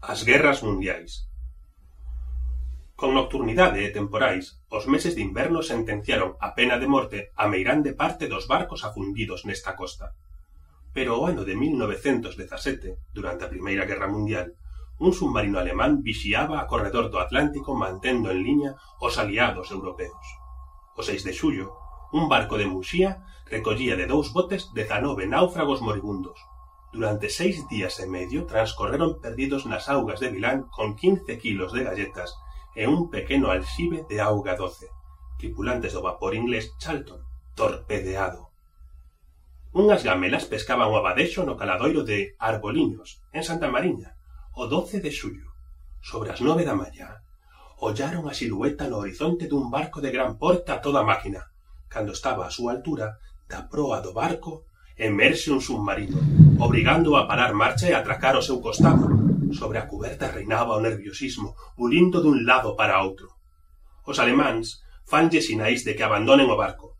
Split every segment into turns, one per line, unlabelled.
As guerras mundiais. Con nocturnidade e temporais, os meses de inverno sentenciaron a pena de morte a meirande parte dos barcos afundidos nesta costa. Pero o ano de 1917, durante a Primeira Guerra Mundial, un submarino alemán vixiaba a corredor do Atlántico mantendo en liña os aliados europeos. O 6 de xullo, un barco de Muxía recollía de 2 botes 19 náufragos moribundos. Durante 6 días e medio transcorreron perdidos nas augas de Milán con 15 kilos de galletas e un pequeno alxibe de auga doce, tripulantes do vapor inglés Charlton, torpedeado. Unhas gamelas pescaban o abadexo no caladoiro de Arboliños, en Santa Mariña, o 12 de xullo. Sobre as 9 da mañá, ollaron a silueta no horizonte dun barco de gran porte a toda máquina. Cando estaba a súa altura, da proa do barco, emerxe un submarino, obrigando a parar marcha e atracar ao seu costado. Sobre a cuberta reinaba o nerviosismo, bulindo dun lado para outro. Os alemáns fanlle sinais de que abandonen o barco.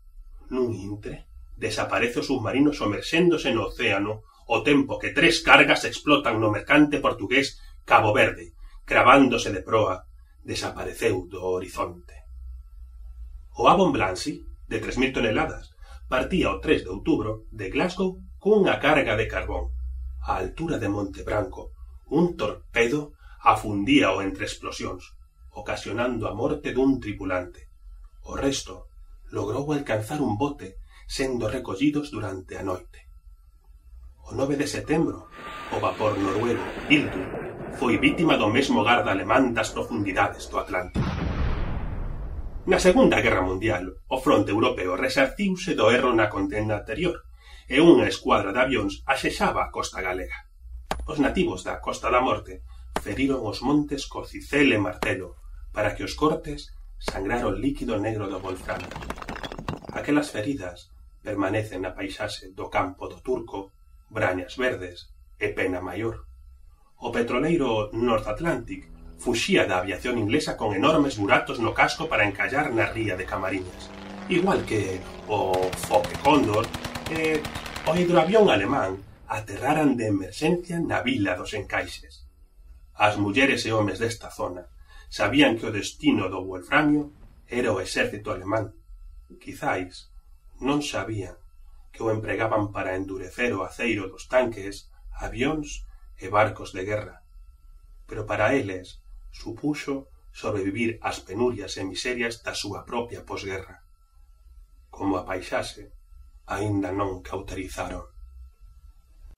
Nun intre, desaparece o submarino somerxéndose no océano ao tempo que 3 cargas explotan no mercante portugués Cabo Verde, cravándose de proa, desapareceu do horizonte. O Avon Blancy, de 3.000 toneladas, partía o 3 de outubro de Glasgow cunha carga de carbón. A altura de Monte Branco, un torpedo afundíao entre explosións, ocasionando a morte dun tripulante. O resto logrou alcanzar un bote, sendo recollidos durante a noite. O 9 de setembro, o vapor noruego Hildur foi vítima do mesmo garda alemán das profundidades do Atlántico. Na Segunda Guerra Mundial, o fronte europeo resarciuse do erro na contenda anterior e unha escuadra de avións axexaba a costa galega. Os nativos da Costa da Morte feriron os montes co cicel e martelo para que os cortes sangraron o líquido negro do wolframio. Aquelas feridas permanecen na paisaxe do campo do Turco, Brañas Verdes e Pena Maior. O petroleiro North Atlantic fuxía da aviación inglesa con enormes buratos no casco para encallar na ría de Camariñas, igual que o Fokke Condor e o hidroavión alemán aterraran de emerxencia na vila dos Encaixes. As mulleres e homes desta zona sabían que o destino do wolframio era o exército alemán. Quizais non sabían que o empregaban para endurecer o aceiro dos tanques, avións e barcos de guerra. Pero para eles supuxo sobrevivir ás penurias e miserias da súa propia posguerra. Como a paisaxe, aínda non cauterizaron.